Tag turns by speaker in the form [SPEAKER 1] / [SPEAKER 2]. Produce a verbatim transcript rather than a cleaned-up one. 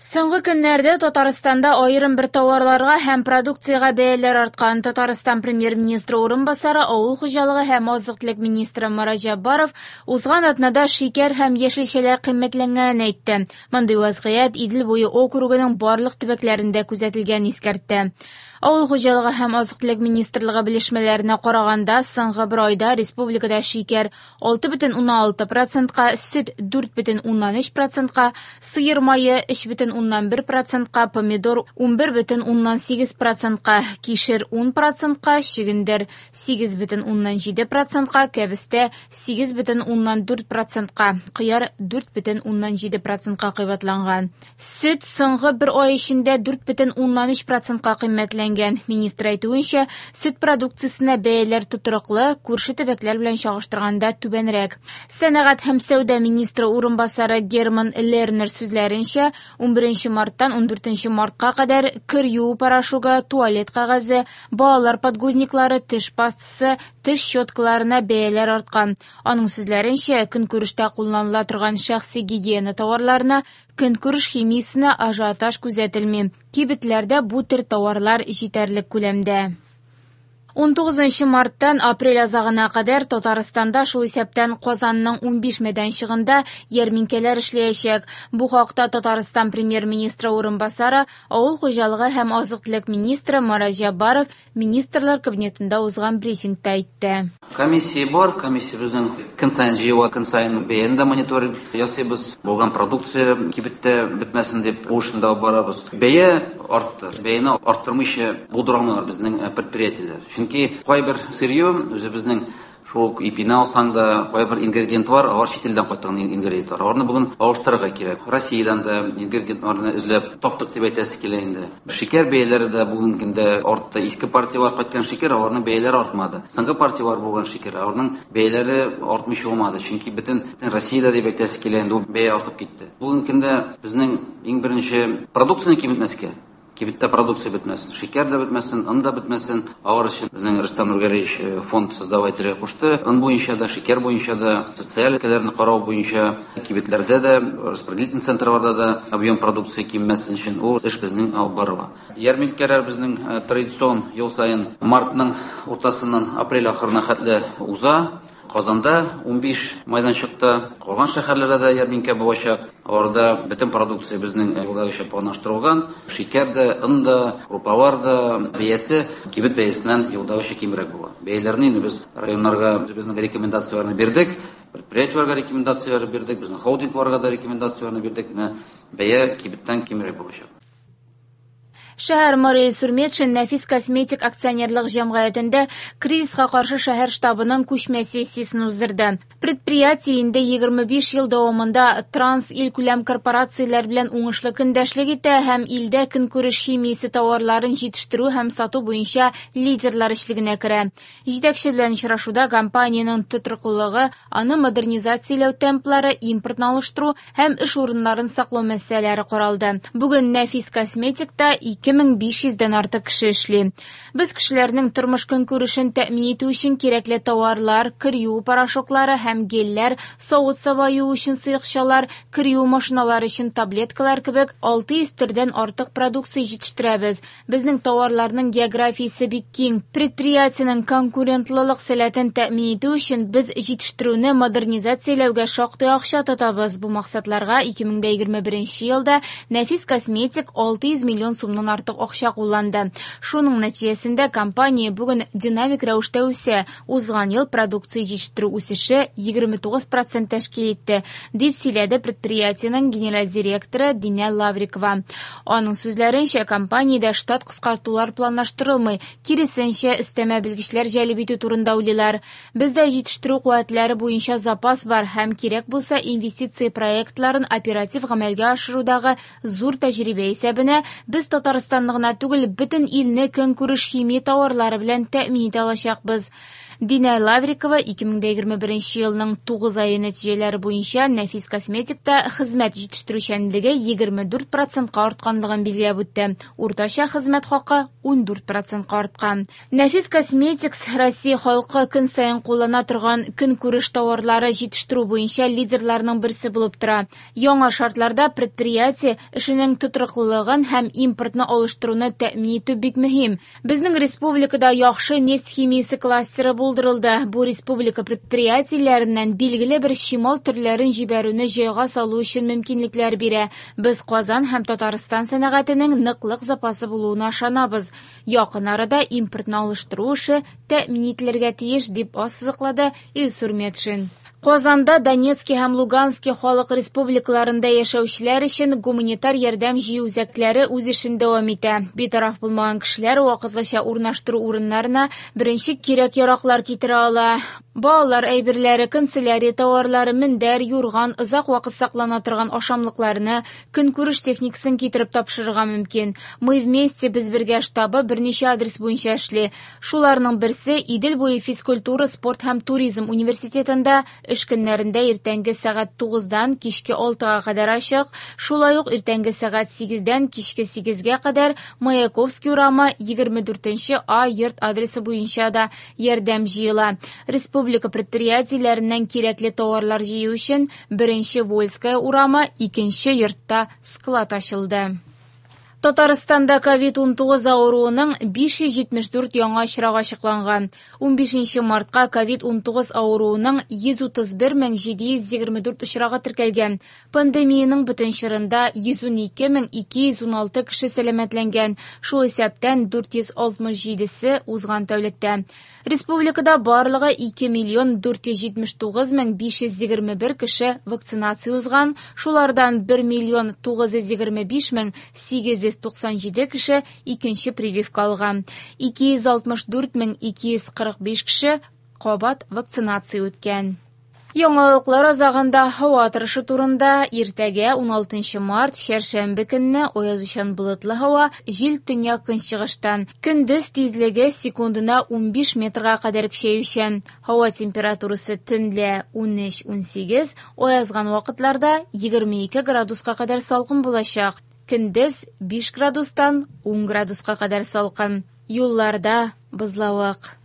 [SPEAKER 1] Соңгы көннәрдә Татарстанда аерым бер товарларга һәм продукциягә бәяләр арткан. Татарстан премьер-министры урынбасары, авыл хуҗалыгы һәм азык-төлек министры Марат Җәббаров узган атнада шикәр һәм яшелчәләр кыйммәтләнгәнен әйтте. Мондый вазгыять Идел буе округының барлык төбәкләрендә күзәтелгәнен искәртте. Авыл хуҗалыгы һәм азык-төлек министрлыгы белешмәләренә караганда, соңгы бер айда республикада шикәр алты бөтен уннан алты процентка, сөт дүрт бөтен уннан өч процентка, сыер мае өч бөтен уннан бер процентка, помидор унбер бөтен уннан сигез процентка, кишер ун процентка, чөгендер сигез бөтен уннан җиде процентка, кәбестә сигез бөтен уннан дүрт процентка, кыяр дүрт бөтен уннан җиде процентка кыйбатланган. Сөт соңгы бер ай эчендә дүрт бөтен уннан өч процентка кыйммәтләнгән. Министр әйтүенчә, сөт продукциясенә бәяләр тотрыклы, күрше төбәкләр белән чагыштырганда түбәнрәк. Сәнәгать һәм сәүдә министры урынбасары Герман Лернер сүзләренчә, унберенче марттан ундүртенче мартка кадәр кер юу порошогы, туалет кәгазе, балалар подгузниклары, теш пастасы, теш щеткаларына бәяләр арткан. Аның сүзләренчә, көнкүрештә кулланыла торган шәхси гигиена товарларына, көнкүреш химиясенә ажиотаж күзәтелми. Кибетләрдә бу төр товарлар җитәрлек күләмдә. Унтугызынчы марттан апрель азагына кадәр Татарстанда, шул исәптән Казанның унбиш мәйданчыгында ярминкәләр эшләячәк. Бу хакта Татарстан премьер-министры урынбасары, авыл хуҗалыгы һәм азык-төлек министры Марат Җәббаров Министрлар кабинетында узган брифингта әйтте.
[SPEAKER 2] Комиссия бар, комиссия безнең көн саен җыела, көн саен бәяне дә мониторинг ясыйбыз. Булган продукция кибеттә бетмәсен дип бу эшне дә алып барабыз. Бәя артты. Бәяне арттырмыйча булдыра алмыйлар безнең предприятиеләр. Чөнки кайбер сырье үзебезнең шул ук ипине алсаң да, кайбер ингредиентлар, алар чит илдән кайткан ингредиентлар. Аларны бүген алыштырырга кирәк. Россиядән дә ингредиентларны эзләп таптык дип әйтәсе килә инде. Шикәр бәяләре дә бүгенге көндә артты. Иске партиялар кайткан шикәр, аларның бәяләре артмады. Соңгы партиялар булган шикәр, аларның бәяләре артмыйча булмады. Чөнки бөтен Россиядә дип әйтәсе килә инде, ул бәя артып китте. Бүгенге көндә безнең иң беренче продукцияне киметмәскә. Кибеттә продукция бетмәсен, шикәр дә бетмәсен, он да бетмәсен. Алар өчен безнең Рөстәм Нургалиевич фонд создавать итәргә кушты. Он буенча да, шикәр буенча да, социаль өлкәләрне карау буенча, кибетләрдә дә, распределительный центрларда да объем продукция кимемәсен өчен ул эш безнең алып барыла. Ярминкәләр безнең традицион ел саен мартның уртасыннан апрель ахырына хәтле уза. Казанда унбиш майданчыкта, калган шәһәрләрдә дә ярминкә булачак. Аларда бөтен продукция безнең елдагыча планлаштырылган. Шикәр дә, он да, крупалар да бәясе кибет бәясеннән елдагыча кимрәк була. Бәяләрне инде без районнарга безнең рекомендацияләрне бирдек, предприятиеләргә рекомендацияләр бирдек, безнең холдингларга да рекомендацияләрне бирдек. Менә бәя кибеттән кимрәк булачак.
[SPEAKER 1] Шәһәр мэры Илсур Метшин Нәфис косметик акционерлык җәмгыятендә кризиска каршы шәһәр штабының күчмә сессиясен уздырды. Предприятие инде егерме биш ел дәвамында транс илкүләм корпорацияләр белән уңышлы көндәшлек итә һәм илдә көнкүреш химиясе товарларын җитештерү һәм сату буенча лидерлар өчлегенә керә. Җитәкче белән очрашуда компаниянең тотрыклылыгы, аны модернизацияләү темплары, импортны алыштыру һәм эш урыннарын саклау мәсьәләләре каралды. Бүген Нәфис косметикта ике мең биш йөздән артык кеше эшли. Без кешеләрнең тормыш көнкүрешен тәэмин итү өчен кирәкле товарлар, кер юу порошоклары һәм гельләр, савыт-саба юу өчен сыекчалар, кер юу машиналары өчен таблеткалар кебек алты йөз төрдән артык продукция җитештерәбез. Безнең товарларның географиясе бик киң. Предприятиенең конкурентлылык сәләтен тәэмин итү өчен без җитештерүне модернизацияләүгә шактый акча тотабыз. Бу максатларга ике мең дә егерме беренче елда Нәфис косметик алты йөз миллион сумнан артык акча кулланды. Шуның нәтиҗәсендә компания бүген динамик рәвештә үсә. Узган ел продукция җитештерү үсеше егерме тугыз процент тәшкил итте, дип сөйләде предприятиенең генераль директоры Динә Лаврикова. Аның сүзләренчә, компаниядә штат кыскартулар планлаштырылмый, киресенчә, өстәмә белгечләр җәлеп итү турында уйлыйлар. Бездә җитештерү куәтләре буенча запас бар һәм кирәк булса инвестиция проектларын оператив гамәлгә ашырудагы зур тәҗрибә исәбенә без Татарстанны гына түгел, бөтен илне көнкүреш химия товарлары белән тәэмин итә алачакбыз. Динә Лаврикова ике мең егерме беренче елның тугыз ае нәтиҗәләре буенча Нәфис Косметикта хезмәт җитештерүчәнлеге егерме дүрт процентка артканлыгын билгеләп үтте. Уртача хезмәт хакы ун дүрт процентка арткан. Нәфис Косметикс Россия халкы көн саен куллана торган көнкүреш товарлары җитештерү буенча лидерларның берсе булып тора. Яңа шартларда предприятие эшенең тотрыклылыгын һәм импортны алыштыруны тәэмин итү бик мөһим. Безнең республикада яхшы нефть химиясе кластеры булдырылды. Бу республика предприятиеләреннән билгеле бер чимал төрләрен җибәрүне җайга салу өчен мөмкинлекләр бирә. Без Казан һәм Татарстан сәнәгатенең ныклык запасы булуына ышанабыз. Якын арада импортны алыштыру эше тәэмин ителергә тиеш, дип ассызыклады Илсур Метшин. Казанда Донецки һәм Лугански халык республикаларында яшәүчеләр өчен гуманитар ярдәм җыю үзәкләре үз эшен дәвам итә. Битараф булмаган кешеләр вакытлыча урнаштыру урыннарына беренче кирәк-яраклар китерә ала. Балалар әйберләре, канцелярия товарлары, мендәр, юрган, озак вакыт саклана торган ашамлыкларны, көнкүреш техникасын китереп тапшырырга мөмкин. Мы вместе без бергә штабы берничә адрес буенча эшли. Шуларның берсе Идел буе физкультура, спорт һәм туризм университетында эш көннәрендә иртәнге сәгать тугыздан кичке алтыга кадәр ачык, шулай ук иртәнге сәгать сигездән кичке сигезгә кадәр Маяковский урамы егерме дүртенче А йорт адресы буенча да ярдәм җыела. Республика предприятиеләреннән кирәкле товарлар җыю өчен беренче Вольская урамы икенче йортта склад ачылды. Татарстанда ковид ун тугыз авыруының биш йөз җитмеш дүрт яңа очрагы ачыкланган. Унбишенче мартка ковид ун тугыз авыруының йөз утыз бер мең җиде йөз егерме дүрт очрагы теркәлгән. Пандемиянең бөтен чорында йөз ун ике мең ике йөз ун алты кеше сәламәтләнгән, шул исәптән дүрт йөз алтмыш җидесе узган тәүлектә. Республикада барлыгы ике миллион дүрт йөз җитмеш тугыз мең биш йөз егерме бер кеше вакцинация узган, шулардан бер миллион тугыз йөз егерме биш мең сигез йөз туксан җиде кеше икенче прививка алган. Ике йөз алтмыш дүрт мең ике йөз кырык биш кеше кабат вакцинация үткән. Яңалыклар азагында һава торышы турында. Иртәгә ун алтынчы март чәршәмбе көнне аязучан болытлы һава, җил төньяк көнчыгыштан. Көндез тизлеге секундына унбиш метрга кадәр көчәючән. Һава температурасы төнлә ун өч ун сигез, аязган вакытларда егерме ике градуска кадәр салкын булачак. Көндез биш градустан ун градуска кадәр салкын. Юлларда бозлавык.